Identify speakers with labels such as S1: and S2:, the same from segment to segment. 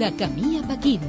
S1: De camí a Pequín.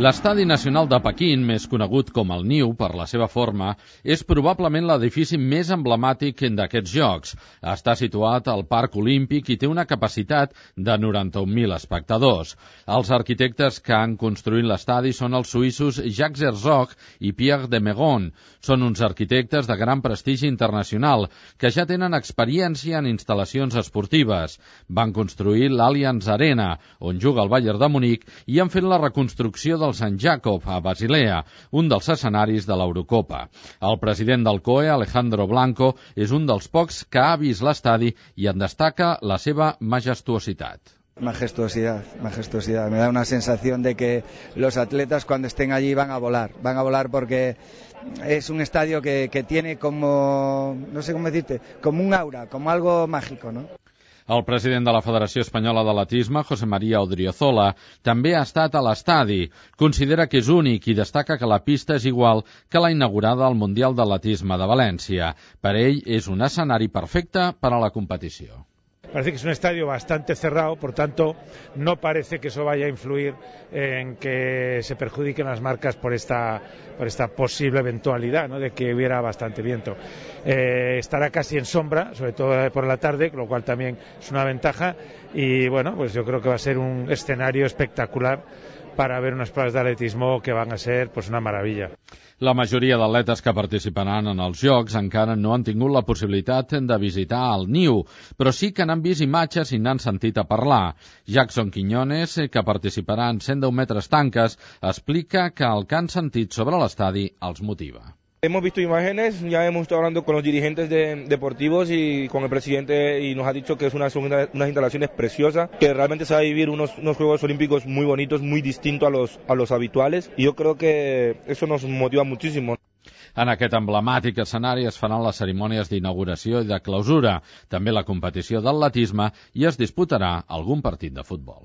S2: L'Estadi Nacional de Pequín, més conegut com el Niu per la seva forma, és probablement l'edifici més emblemàtic d'aquests Jocs. Està situat al Parc Olímpic i té una capacitat de 91.000 espectadors. Els arquitectes que han construït l'estadi són els suïssos Jacques Herzog i Pierre de Meuron. Són uns arquitectes de gran prestigi internacional que ja tenen experiència en instal·lacions esportives. Van construir l'Allianz Arena, on juga el Bayern de Munic, i han fet la reconstrucció del Sant Jacob a Basilea, un dels escenaris de l'Eurocopa. El president del COE, Alejandro Blanco, és un dels pocs que ha vist l'estadi i en destaca la seva majestuositat.
S3: Majestuosidad. Me da una sensación de que los atletas cuando estén allí van a volar porque es un estadio que tiene como, no sé cómo decirte, como un aura, como algo mágico, ¿no?
S2: El president de la Federació Espanyola d'Atletisme, José María Odriozola, també ha estat a l'estadi. Considera que és únic i destaca que la pista és igual que la inaugurada al Mundial d'Atletisme de València. Per ell, és un escenari perfecte per a la competició.
S4: Parece que es un estadio bastante cerrado, por tanto, no parece que eso vaya a influir en que se perjudiquen las marcas por esta posible eventualidad, ¿no?, de que hubiera bastante viento. Estará casi en sombra, sobre todo por la tarde, lo cual también es una ventaja. Y bueno, pues yo creo que va a ser un escenario espectacular para ver unas pruebas de atletismo que van a ser pues una maravilla.
S2: La majoria d'atletes que participaran en els Jocs encara no han tingut la possibilitat de visitar el Niu, però sí que n'han vist imatges i n'han sentit a parlar. Jackson Quiñones, que participarà en 110 metres tanques, explica que el que han sentit sobre l'estadi els motiva.
S5: Hemos visto imágenes, ya hemos estado hablando con los dirigentes deportivos y con el presidente y nos ha dicho que son unas instalaciones preciosas, que realmente se va a vivir unos Juegos Olímpicos muy bonitos, muy distintos a los habituales, y yo creo que eso nos motiva muchísimo.
S2: En aquest emblemàtic escenari es faran les cerimònies d'inauguració i de clausura, també la competició d'atletisme i es disputarà algun partit de futbol.